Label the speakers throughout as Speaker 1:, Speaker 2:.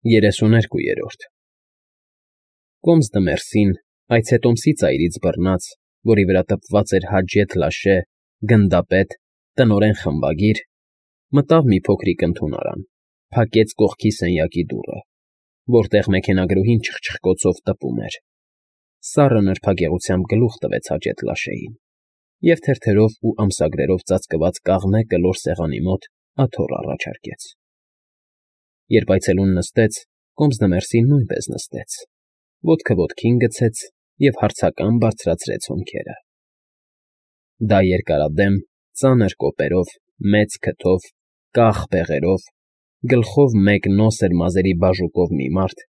Speaker 1: 32-րդ Կոմս դմերսին, այցետոմսի ծայրից բռնած, որի վրա տպված էր Հաջեթ Լաշե, գնդապետ, տնօրեն խմբագիր, մտավ մի փոքրիկ ընդունարան, փակեց կողքի սենյակի դուռը, որտեղ մեքենագրուհին չխչխկոցով տպում էր, սառը նրբագեղությամբ գլուխ տվեց Հաջեթ Լաշեին և թերթերով ու ամսագրերով ծածկված կաղնե կլոր սեղանի մոտ աթոռ առաջարկեց։ Երբ այցելուն նստեց, Կոմս դմերսին նույնպես նստեց, ոտքը ոտքին գցեց և հարցական բարձրացրեց հոնքերը։ Դա երկարադեմ, ծանր կոպերով, մեծ քթով, կախ բեղերով, գլխով մեկ նոսր մազերի բաժուկով մի մարդ,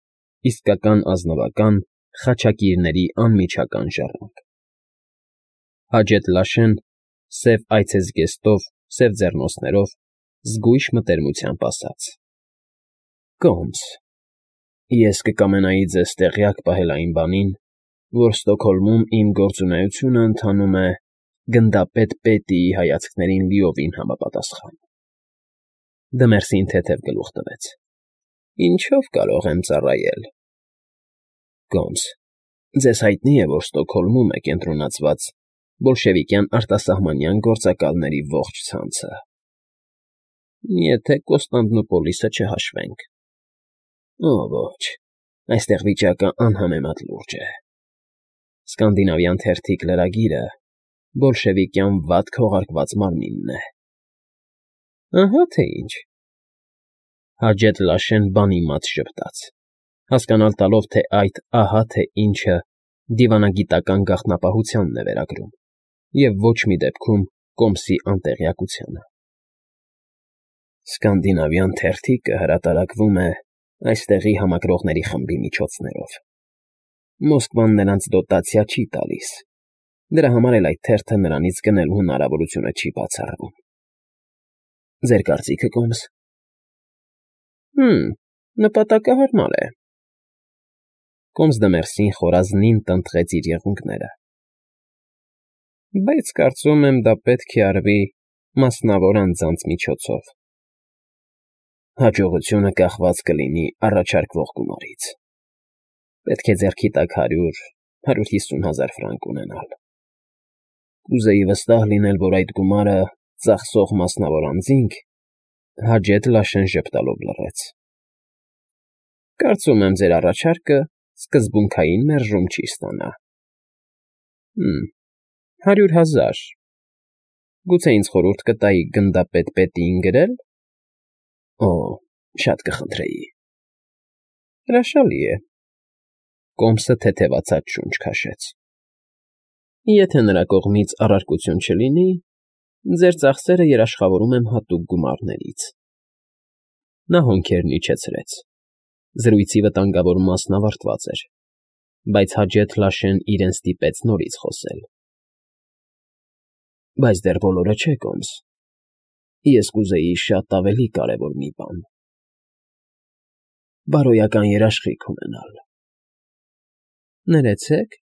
Speaker 1: իսկական ազնվական, խաչակիրների անմիջական ժառանգ։ Հաջեթ Լաշեն, սև այցեզգեստով, սև ձեռնոցներով, զգույշ մտերմությամբ ասաց. Կոմս, ես կկամենայի ձեզ տեղյակ պահել այն բանին, որ Ստոկհոլմում իմ գործունեությունը ընթանում է գնդապետ Պետիի հայացքներին լիովին համապատասխան։ Դմերսին թեթև գլուխ տվեց։ Ինչո՞վ կարող եմ ծառայել։ Կոմս, ձեզ հայտնի է, որ Ստոկհոլմում է կենտրոնացված բոլշևիկյան արտասահմանյան գործակալների ողջ ցանցը։ Եթե Կոստանդնուպոլիսը չհաշվենք։ Ոչ, այստեղ վիճակը անհամեմատ լուրջ է։ Սկանդինավյան թերթիկ լրագիրը բոլշևիկյան վատ քողարկված մարմինն է։ Ահա թե ինչ։ Հաջեթ Լաշեն բանիմաց ժպտաց, հասկանալ տալով, թե այդ ահա թե ինչը դիվանագիտական գաղտնապահությանն է վերագրում և ոչ մի դեպքում Կոմսի անտեղյակությանը։ Սկանդինավյան թերթիկը հրատարակվում է այստեղի համակրողների խմբի միջոցներով։ Մոսկվան նրանց դոտացիա չի տալիս, դրա համար էլ այդ թերթը նրանից գնելու հնարավորությունը չի բացառվում։ Ձեր կարծիքը, Կոմս։ Նպատակը հարմար է։ Կոմս դմերսին խորազնին տնտղեց իր եղունգները։ Բայց կարծում եմ դա պետք է արվի մասնավոր անձանց միջոցով։ Հաջողությունը կախված կլինի առաջարկվող գումարից։ Պետք է ձեռքի տակ 100-150 հազար ֆրանկ ունենալ։ Կուզեի վստահ լինել, որ այդ գումարը ծախսող մասնավոր անձինք Հաջեթ Լաշեն ժպտալով լռեց։ Կարծում եմ, ձեր առաջարկը սկզբունքային մերժում չի ստանա։ 100 հազար։ Գուցե ինձ խորհուրդ կտայիք գնդապետ Պետիին գրել։ Օ, շատ կխնդրեի։ Հրաշալի է։ Կոմսը թեթևացած շունչ քաշեց։ Եթե նրա կողմից առարկություն չլինի, ձեր ծախսերը երաշխավորում եմ հատուկ գումարներից։ Նա հոնքերն իջեցրեց։ Զրույցի վտանգավոր մասն ավարտված էր, բայց Հաջեթ Լաշեն իրեն ստիպեց նորից խոսել։ Բայց դեռ բոլորը չէ, Կոմս։ Ես կուզեի շատ ավելի կարևոր մի բան։ Բարոյական երաշխիք ունենալ։ Ներեցեք։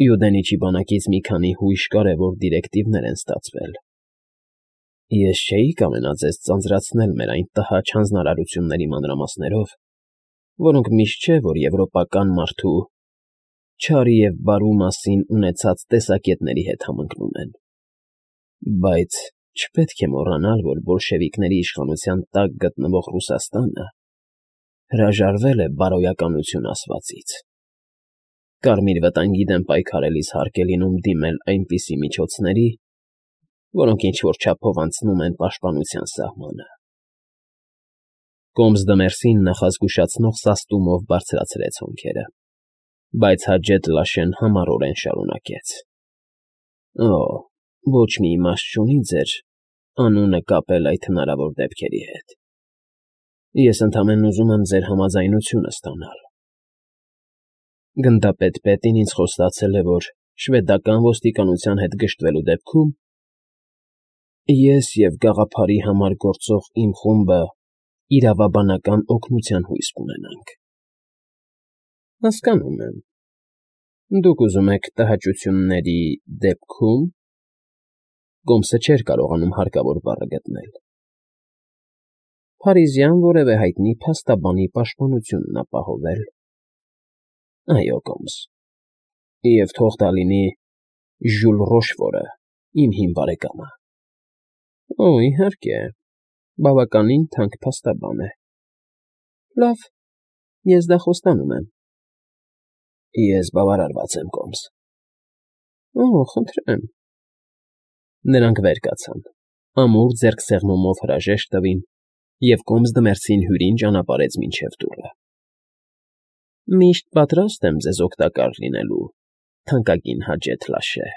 Speaker 1: Յուդենիչի բանակից մի քանի հույժ կարևոր դիրեկտիվներ են ստացվել։ Ես չէի կամենա ձեզ ծանծրացնել մեր այն տհաճ հանձնարարությունների մանրամասներով, որոնք միշտ չէ, որ եվրոպական մարդու չարի և բարու մասին ունեցած տեսակետների հետ համընկնում են։ Բայց չպետք է մոռանալ, որ բոլշևիկների իշխանության տակ գտնվող Ռուսաստանը հրաժարվել է բարոյականություն ասվածից։ Կարմիր վտանգի դեմ պայքարելիս հարկ է լինում դիմել այնպիսի միջոցների, որոնք ինչ-որ չափով անցնում են պաշտպանության սահմանը։ Կոմս դմերսին նախազգուշացնող սաստումով բարձրացրեց հոնքերը, բայց Հաջեթ Լաշեն համառորեն շարունակեց. Օ, ոչ մի իմաստ չունի ձեր անունը կապել այդ հնարավոր դեպքերի հետ։ Ես ընդամենն ուզում եմ ձեր համաձայնությունը ստանալ։ Գնդապետ Պետին ինձ խոստացել է, որ շվեդական ոստիկանության հետ գժտվելու դեպքում ես և գաղափարի համար գործող իմ խումբը իրավաբանական օգնության հույս կունենանք։ Հասկանում եմ։ Դուք ուզում եք տհաճությունների դեպքում… Կոմսը չէր կարողանում հարկավոր բառը գտնել։ Փարիզյան որևէ հայտնի փաստաբանի պաշտպանությունն ապահովել։ Այո, Կոմս, և թող դա լինի Ժյուլ Ռոշֆորը, իմ հին բարեկամը։ Օ, իհարկե, բավականին թանկ փաստաբան է։ Լավ, ես դա խոստանում եմ։ Ես բավարարված եմ, Կոմս։ Օ, խնդրեմ։ Նրանք վեր կացան, ամուր ձեռքսեղմումով հրաժեշտ տվին և կոմս դմերցին հյուրին ճանապարհեց մինչև դուռը։ Միշտ պատրաստ եմ ձեզ օգտակար լինելու, թանկագին Հաջեթ Լաշե։